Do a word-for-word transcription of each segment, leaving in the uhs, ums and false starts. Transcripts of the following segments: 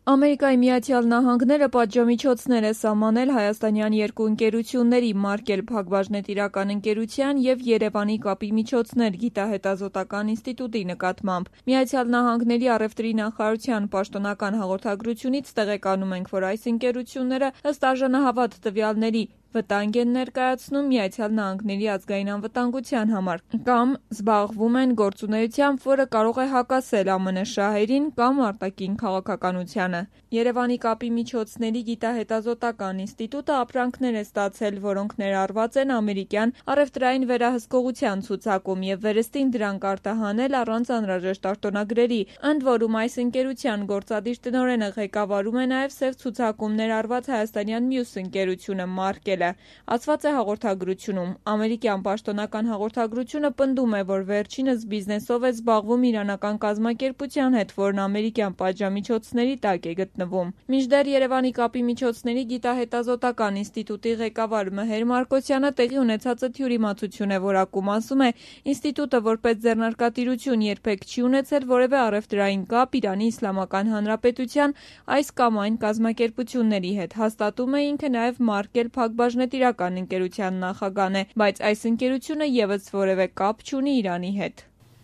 Ամերիկայի Միացյալ Նահանգները պատժամիջոցներ է սահմանել հայաստանյան երկու ընկերությունների՝ Մարկել փակbaşնետիրական ընկերության և Երևանի կապի միջոցներ գիտահետազոտական ինստիտուտի նկատմամբ։ Միացյալ Նահանգների առևտրի նախարարության պաշտոնական հաղորդագրությունից տեղեկանում ենք, որ այս ընկերությունները ըստ արժանահավատ տվյալների վտանգ են ներկայացնում Միացյալ Նահանգների ազգային անվտանգության համար կամ զբաղվում են գործունեությամբ, որը կարող է հակասել ԱՄՆ շահերին կամ արտաքին քաղաքականությանը։ Երևանի կապի միջոցների գիտահետազոտական ինստիտուտը ապրանքներ է ստացել, որոնք ներառված են ամերիկյան առևտրային վերահսկողության ցուցակում և վերստին դրանք արտահանել առանց անհրաժեշտ արտոնագրերի։ Ընդ որում այս ընկերության գործադիր տնօրենը ղեկավարում է նաև սև ցուցակում ներառված հայաստանյան մյուս ընկերությունը Մարկելը։ Ասված է հաղորդագրությունում։ Ամերիկյան պաշտոնական հաղորդագրությունը պնդում է, որ վերջինս բիզնեսով է զբաղվում իրանական կազմակերպության հետ, որն ամերիկյան պատժամիջոցների տակ է գտնվում։ Մինչդեռ Երևանի կապի միջոցների գիտահետազոտական ինստիտուտի ղեկավար Մհեր Մարկոսյանը տեղի ունեցածը թյուրիմացություն է որակում, ասում է. ինստիտուտը որպես ձեռնարկատիրություն երբեք չի ունեցել որևէ առևտրային կապ Իրանի Իսլամական Հանրապետության այս կամ այն կազմակերպությունների հետ։ Հաստատում է ինքը նաև Մարկել փակbaşնետիրական ընկերության նախագահն է, բայց այս ընկերությունը ևս որևէ կապ չունի Իրանի հետ։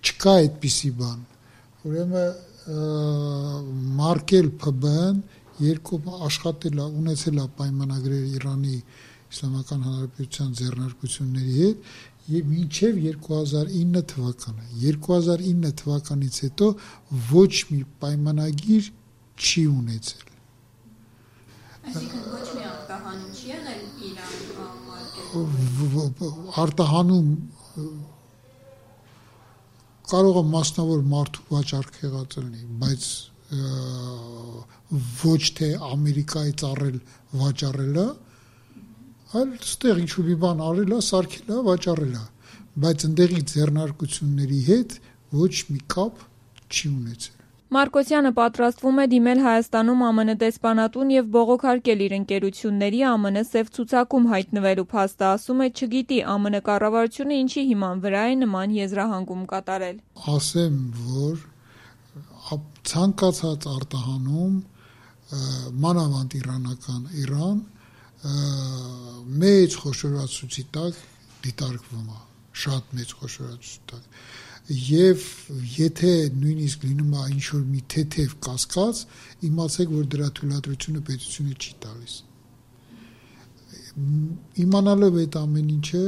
Չկա այդպիսի բան։ Ուրեմն Մարկել Փ B-ն երկու աշխատել է, ունեցել է պայմանագրեր Իրանի Իսլամական Հանրապետության ձեռնարկությունների հետ եւ մինչեւ երկու հազար ինը թվականը։ երկու հազար ինը թվականից հետո ոչ մի պայմանագիր չի ունեցել։ Այսինքն ոչ մի արտահանում չի եղել Իրան արտահանում կարող է մասնավոր մարդու վաճառք եղած լինի, բայց ոչ թե Ամերիկայից առել վաճառելը, այլ ստեղ ինչ-որ մի բան արել է, սարքել է, վաճառել է, բայց ընդեղի ձեռնարկությունների հետ ոչ մի կապ չի ունեցել։ Մարկոսյանը պատրաստվում է դիմել Հայաստանում ԱՄՆ դեսպանատուն և բողոքարկել իր ընկերությունների ԱՄՆ սև ցուցակում հայտնվելու փաստը, ասում է չգիտի ԱՄՆ կառավարությունը ինչի հիման վրա է նման եզրահանգում կատարել։ Ասեմ, որ ցանկացած արտահանում մանավանդ իրանական Իրան մեծ խոշորացուցի տակ դիտարկվում է, շատ մեծ խոշորացուցի տակ։ Եվ եթե նույնիսկ լինում է ինչ-որ մի թեթև կասկած, իմացեք, որ դրա թույլատրությունը պետությունը չի տալիս։ Իմանալով այդ ամեն ինչը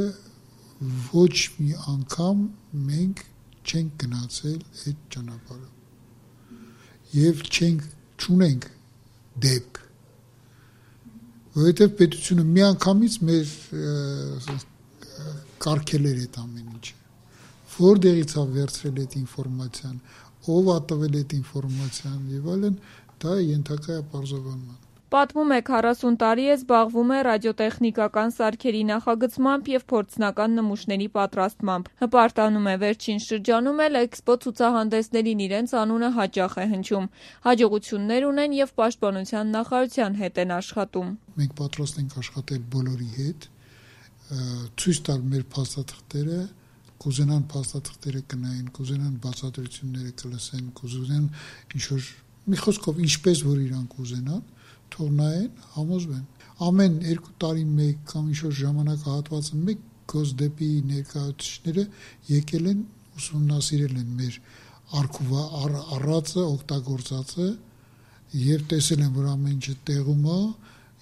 ոչ մի անգամ մենք չենք գնացել այդ ճանապարհով եւ չենք չունենք դեպք, որովհետեւ պետությունը միանգամից մեր կարգել էր այդ ամեն ինչը։ Որտեղից է վերցրել այդ ինֆորմացիան, ով է տվել այդ ինֆորմացիան եւ այլն, դա ենթակա է պարզաբանման։ Պատմում է քառասուն տարի է զբաղվում է ռադիոտեխնիկական սարքերի նախագծմամբ և փորձնական նմուշների պատրաստմամբ։ Հպարտանում է վերջին շրջանում էլ էքսպո ցուցահանդեսներին իրենց անունը հաճախ է հնչում։ Հաջողություններ ունեն և պաշտպանության նախարարության հետ են աշխատում։ Մենք պատրաստ ենք աշխատել բոլորի հետ, ցույց տալ մեր փաստաթղթերը, կուզենան փաստաթղթերը կնային, կուզենան բացատրությունները կլսեն, կուզենան ինչ-որ մի խոսքով ինչպես որ իրանք ուզենան, թող նայեն, համոզվեն։ Ամեն երկու տարի մեկ կամ ինչ-որ ժամանակահատվածը մեկ գոսդեպի ներկայացուցիչները եկել են, ուսումնասիրել են մեր արխիվը, առածը, օգտագործածը եւ տեսել են, որ ամեն ինչը տեղում է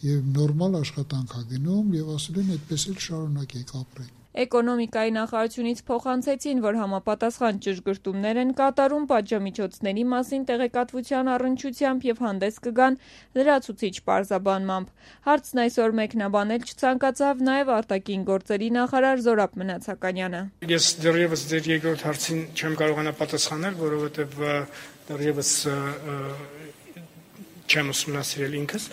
եւ նորմալ աշխատանք է գնում եւ ասել են այդպես էլ շարունակեք ապրեք։ Էկոնոմիկայի նախարարությունից փոխանցեցին, որ համապատասխան ճշգրտումներ են կատարում պատժամիջոցների մասին տեղեկատվության առնչությամբ եւ հանդես կգան լրացուցիչ պարզաբանմամբ։ Հարցն այսօր մեկնաբանել չցանկացավ նաեւ արտաքին գործերի նախարար Զորաբ Մնացականյանը։ Ես դեռևս ձեր երկրորդ հարցին չեմ կարողանա պատասխանել, որովհետեւ դեռևս չեմ ուսումնասիրել ինքս,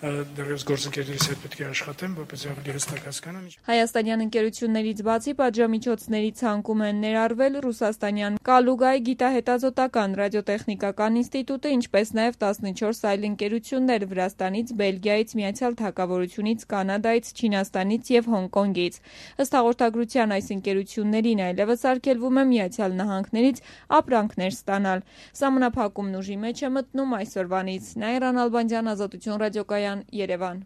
դեռևս գործընկերներից հետ պետք է աշխատեմ, որպեսզի ավելի հստակ հասկանամ։ Հայաստանյան ընկերություններից բացի պատժամիջոցների ցանկում են ներառվել ռուսաստանյան Կալուգայ գիտահետազոտական ռադիոտեխնիկական ինստիտուտը, ինչպես նաև տասնչորս այլ ընկերություններ Վրաստանից, Բելգիայից, Միացյալ Թագավորությունից, Կանադայից, Չինաստանից և Հոնկոնգից։ Ըստ հաղորդագրության այս ընկերություններին այլևս արգելվում է Միացյալ Նահանգներից ապրանքներ ստանալ։ Սահմանափակումն ուժի մեջ է մտնում այսօրվանից։ Նաիրա Նալբանդյան, Ազատություն ռադիոկայան, Երևան։